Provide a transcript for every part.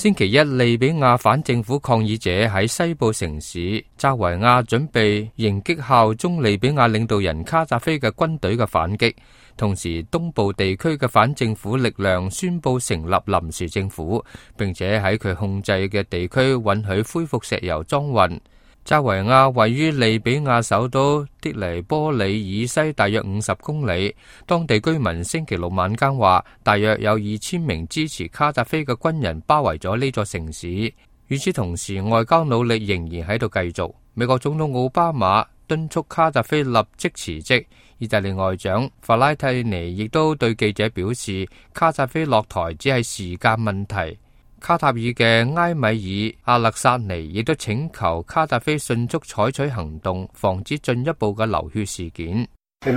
星期一，利比亞反政府抗議者喺西部城市扎維亞準備迎擊效忠利比亞領導人卡扎菲嘅軍隊嘅反擊，同時東部地區嘅反政府力量宣布成立臨時政府，並且喺佢控制嘅地區允許恢復石油裝運。扎維亞位於利比亞首都的黎波里以西大約50公里。當地居民星期六晚間話，大約有2000名支持卡扎菲嘅軍人包圍咗呢座城市。與此同時，外交努力仍然喺度繼續。美國總統奧巴馬敦促卡扎菲立即辭職。意大利外長法拉蒂尼亦都對記者表示，卡扎菲落台只係時間問題。卡塔爾嘅埃米爾阿勒薩尼亦都請求卡扎菲迅速採取行動，防止進一步嘅流血事件。阿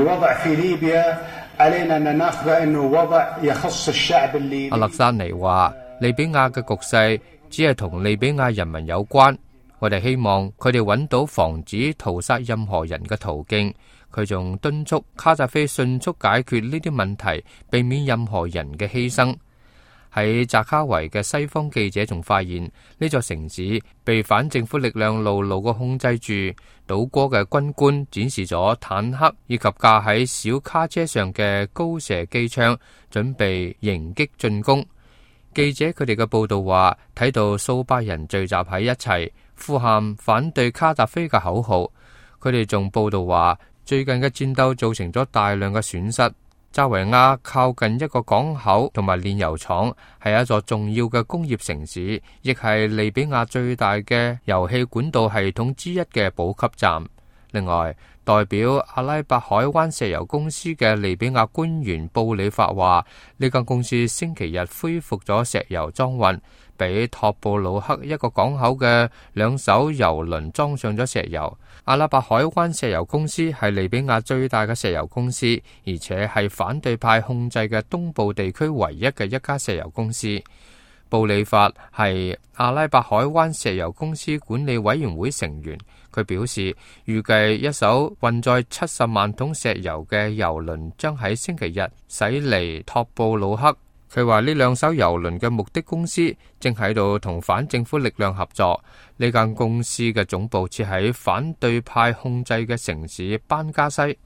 勒薩尼話，利比亞嘅局勢只係同利比亞人民有關，我哋希望佢哋揾到防止屠殺任何人嘅途徑。佢仲敦促卡扎菲迅速解決呢啲問題，避免任何人嘅犧牲。喺扎卡維嘅西方記者仲發現，呢座城市被反政府力量牢牢嘅控制住。倒戈嘅軍官展示咗坦克以及架喺小卡車上嘅高射機槍，準備迎擊進攻。記者佢哋嘅報道話，睇到數百人聚集喺一齊，呼喊反對卡扎菲嘅口號。佢哋仲報道話，最近嘅戰鬥造成咗大量嘅損失。扎維亞靠近一個港口同埋煉油廠，係一座重要嘅工業城市，亦係利比亞最大嘅油氣管道系統之一嘅補給站。另外，代表阿拉伯海灣石油公司嘅利比亞官員布里法話，呢間公司星期日恢復咗石油裝運，俾托布魯克一個港口嘅2艘油輪裝上咗石油。阿拉伯海灣石油公司係利比亞最大嘅石油公司，而且係反對派控制嘅東部地區唯一嘅一家石油公司。布里法係阿拉伯海灣石油公司管理委員會成員，佢表示預計一艘運載70萬桶石油嘅油輪將喺星期日駛離托布魯克。佢話呢2艘油輪嘅目的公司正喺度同反政府力量合作。呢間公司嘅總部設喺反對派控制嘅城市班加西。